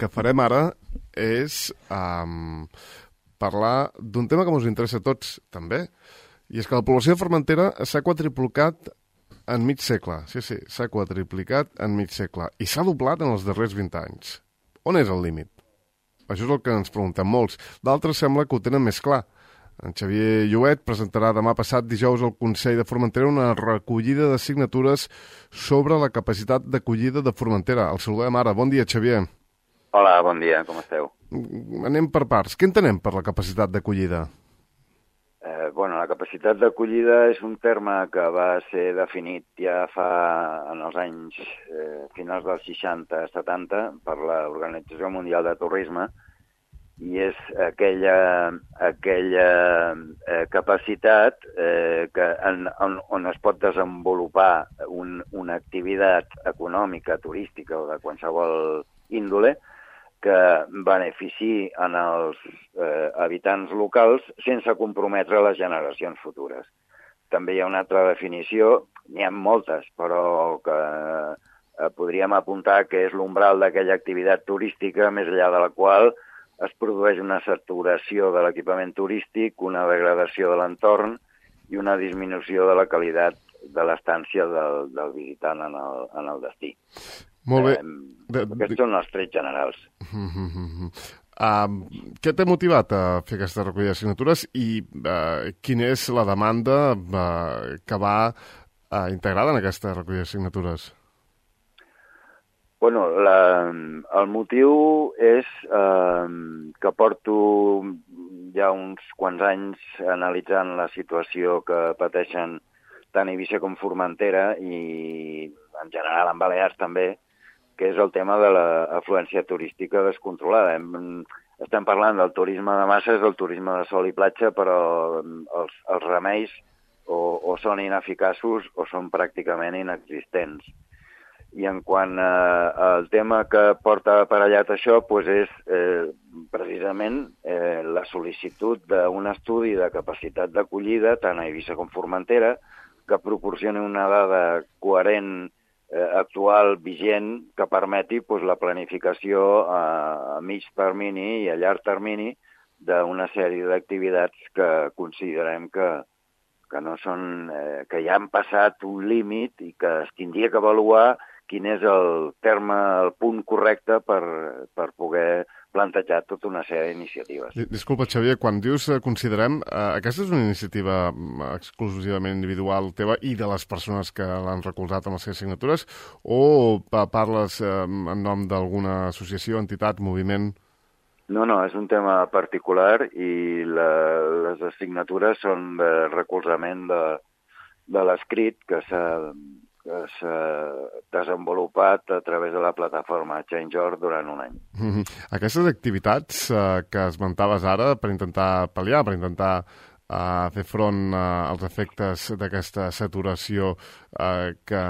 que farem ara és parlar d'un tema que ens interessa a tots, també, i és que la població de Formentera s'ha quadriplicat en mig segle. Sí, s'ha quadriplicat en mig segle. I s'ha doblat en els darrers 20 anys. On és el límit? Això és el que ens preguntem molts. D'altres sembla que ho tenen més clar. En Xavier Lluet presentarà demà passat dijous al Consell de Formentera una recollida de signatures sobre la capacitat d'acollida de Formentera. El saludem ara. Bon dia, Xavier. Hola, bon dia, com esteu? Anem per parts. Què entenem per la capacitat d'acollida? La capacitat d'acollida és un terme que va ser definit ja en els anys finals dels 60-70 per l'Organització Mundial de Turisme, i és aquella capacitat on es pot desenvolupar una activitat econòmica, turística o de qualsevol índole que beneficiï en els habitants locals sense comprometre les generacions futures. També hi ha una altra definició, n'hi ha moltes, però que podríem apuntar que és l'umbral d'aquella activitat turística més enllà de la qual es produeix una saturació de l'equipament turístic, una degradació de l'entorn i una disminució de la qualitat de l'estància del visitant en el destí. Molt bé. Aquests són els trets generals. Què t'ha motivat a fer aquesta recollida de signatures i quina és la demanda que va integrada en aquesta recollida de signatures? El motiu és que porto ja uns quants anys analitzant la situació que pateixen tant Eivissa com Formentera i en general en Balears també, que és el tema de l'afluència turística descontrolada. Estem parlant del turisme de masses, del turisme de sol i platja, però els remeis o són ineficaços o són pràcticament inexistents. I en quant al tema que porta aparellat això, és precisament la sol·licitud d'un estudi de capacitat d'acollida, tant a Eivissa com Formentera, que proporcioni una dada coherent, actual, vigent, que permeti la planificació a mig termini i a llarg termini d'una sèrie d'activitats que considerem que no són, que ja han passat un límit i que es tindria que avaluar quin és el punt correcte per poder plantejar tota una sèrie d'iniciatives. Disculpa, Xavier, quan dius considerem, aquesta és una iniciativa exclusivament individual teva i de les persones que l'han recolzat amb les seves signatures, o parles en nom d'alguna associació, entitat, moviment? No, és un tema particular i les signatures són de recolzament de l'escrit que s'ha desenvolupat a través de la plataforma Change.org durant un any. Aquestes activitats que esmentaves ara per intentar pal·liar, per intentar fer front als efectes d'aquesta saturació que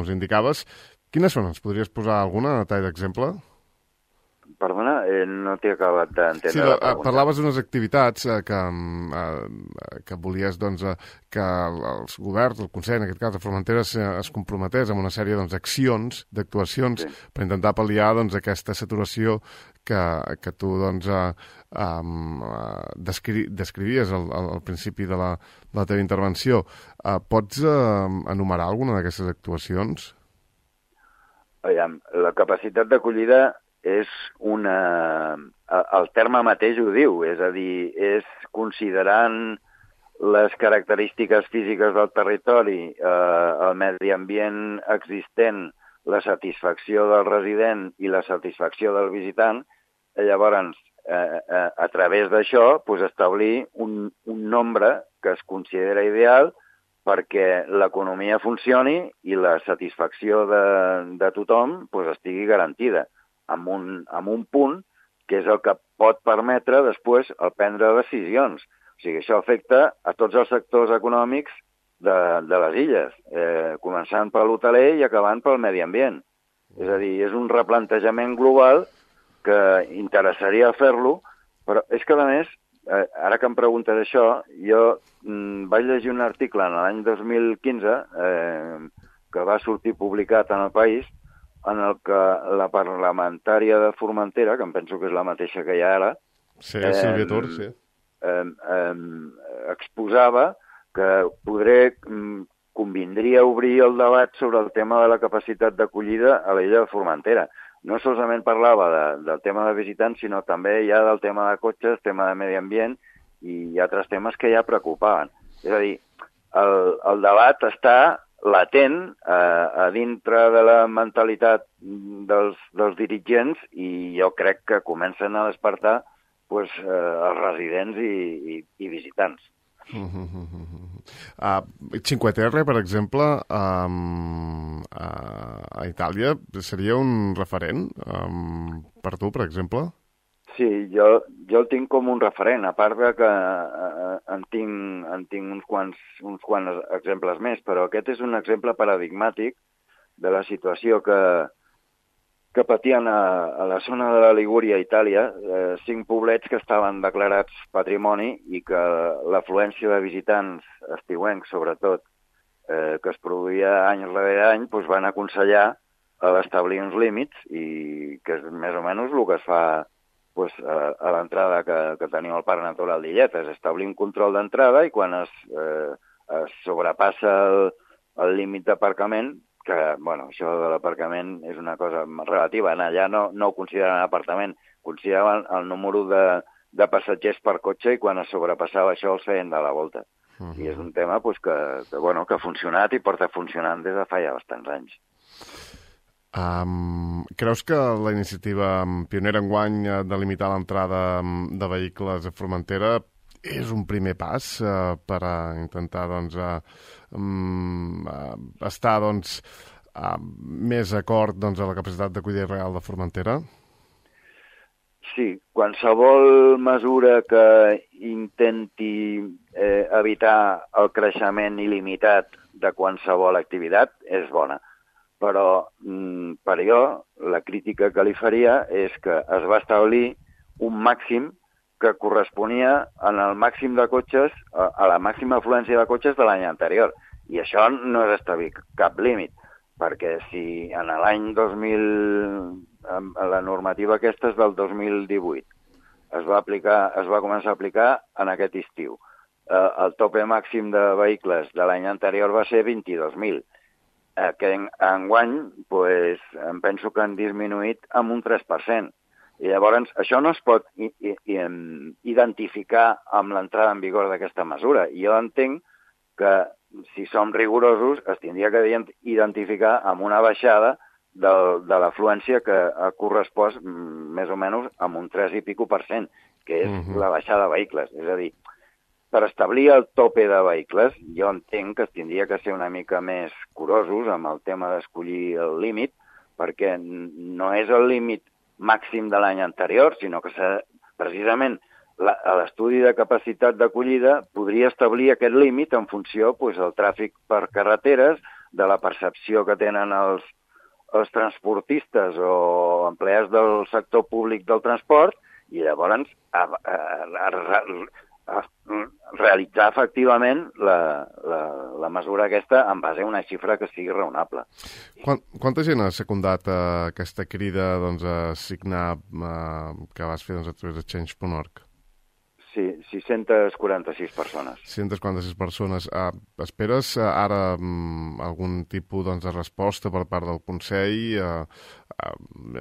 us indicaves, quines són? Ens podries posar alguna a tall d'exemple? Perdona, no t'he acabat d'entendre la pregunta. Parlaves d'unes activitats que volies que els governs, el Consell, en aquest cas de Formentera, es comprometés amb una sèrie d'accions, d'actuacions, per intentar pal·liar aquesta saturació que tu descrivies al principi de la teva intervenció. Pots enumerar alguna d'aquestes actuacions? La capacitat d'acollida és el terme mateix ho diu, és a dir, és considerant les característiques físiques del territori, el medi ambient existent, la satisfacció del resident i la satisfacció del visitant, llavors, a través d'això, establir un nombre que es considera ideal perquè l'economia funcioni i la satisfacció de tothom estigui garantida, amb un punt que és el que pot permetre després el prendre decisions. O sigui, això afecta a tots els sectors econòmics de les illes, començant per l'hoteler i acabant pel medi ambient. És a dir, és un replantejament global que interessaria fer-lo, però és que, a més, ara que em preguntes això, jo vaig llegir un article en l'any 2015 que va sortir publicat en El País en el que la parlamentària de Formentera, que em penso que és la mateixa que hi ha ara, Sí, Sílvia Tur, sí. Exposava que convindria obrir el debat sobre el tema de la capacitat d'acollida a l'illa de Formentera. No solament parlava del tema de visitants, sinó també ja del tema de cotxes, tema de medi ambient i altres temes que ja preocupaven. És a dir, el debat està latent a dintre de la mentalitat dels dirigents i jo crec que comencen a despertar els residents i visitants. Cinque Terre, per exemple, a Itàlia seria un referent per tu, per exemple? Sí, jo el tinc com un referent, a part de que en tinc uns quants exemples més, però aquest és un exemple paradigmàtic de la situació que patien a la zona de la Ligúria, Itàlia, 5 poblets que estaven declarats patrimoni i que l'afluència de visitants estiuencs, sobretot, que es produïa any rere any, doncs van aconsellar establir uns límits i que és més o menys el que es fa a l'entrada que tenim al Parc Natural d'Illetes, establir un control d'entrada i quan es sobrepassa el límit d'aparcament, que, això de l'aparcament és una cosa relativa. Allà no ho consideraven apartament, consideraven el número de passatgers per cotxe i quan es sobrepassava això els feien de la volta. I és un tema que ha funcionat i porta funcionant des de fa ja bastants anys. Creus que la iniciativa pionera enguany de limitar l'entrada de vehicles a Formentera és un primer pas per a intentar estar més acord a la capacitat d'acollida real de Formentera? Sí, qualsevol mesura que intenti evitar el creixement il·limitat de qualsevol activitat és bona. Però per jo la crítica que li faria és que es va establir un màxim que corresponia en el màxim de cotxes, a la màxima afluència de cotxes de l'any anterior. I això no és establir cap límit, perquè si en l'any 2000, la normativa aquesta és del 2018, es va començar a aplicar en aquest estiu. El tope màxim de vehicles de l'any anterior va ser 22.000. Que enguany em penso que han disminuït amb un 3%. I llavors això no es pot identificar amb l'entrada en vigor d'aquesta mesura. Jo entenc que si som rigorosos es tindria que identificar amb una baixada de l'afluència que ha correspost més o menys amb un 3 i pico %, que és la baixada de vehicles. És a dir, per establir el tope de vehicles, jo entenc que es tindria que ser una mica més curosos amb el tema d'escollir el límit, perquè no és el límit màxim de l'any anterior, sinó que precisament l'estudi de capacitat d'acollida podria establir aquest límit en funció del tràfic per carreteres, de la percepció que tenen els transportistes o empleats del sector públic del transport, i llavors realitzar efectivament la mesura aquesta en base a una xifra que sigui raonable. Quanta gent ha secundat aquesta crida a signar que vas fer a través de Change.org? Sí, 646 persones. 646 persones. Esperes ara algun tipus de resposta per part del Consell?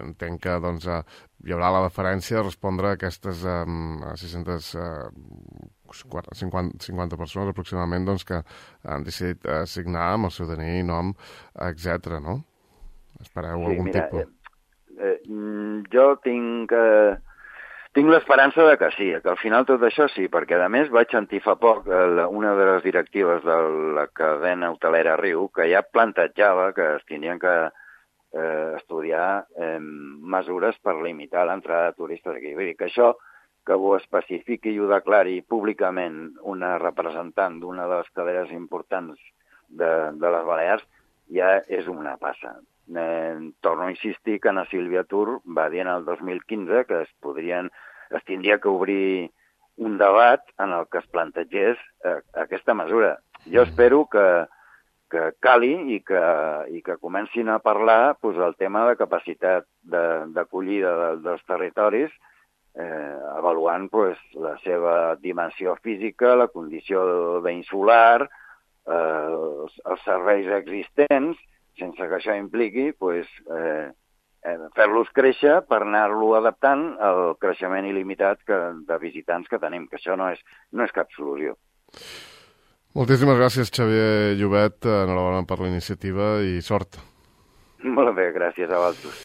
Entenc que hi haurà la deferència de respondre a aquestes 650 persones aproximadament que han decidit signar amb el seu DNI, nom, etc. no? Espereu algun tipus? Jo tinc l'esperança de que sí, que al final tot això sí, perquè a més vaig sentir fa poc una de les directives de la cadena hotelera Riu que ja plantejava que es tindrien que estudiar mesures per limitar l'entrada de turistes aquí. Vull dir que això, que ho especifiqui i ho declari públicament una representant d'una de les cadenes importants de les Balears, ja és una passa. Torno a insistir que na Sílvia Tur va dir en el 2015 que es tindria que obrir un debat en el que es plantegés aquesta mesura. Jo espero que cali i que comencin a parlar doncs, el tema de capacitat d'acollida dels territoris, avaluant doncs, la seva dimensió física, la condició d'insular, els serveis existents, sense que això impliqui doncs, fer-los créixer per anar-lo adaptant al creixement il·limitat de visitants que tenim, que això no és cap solució. Moltíssimes gràcies, Xavier Llobet. Enhorabona per la iniciativa i sort. Molt bé, gràcies a vosaltres.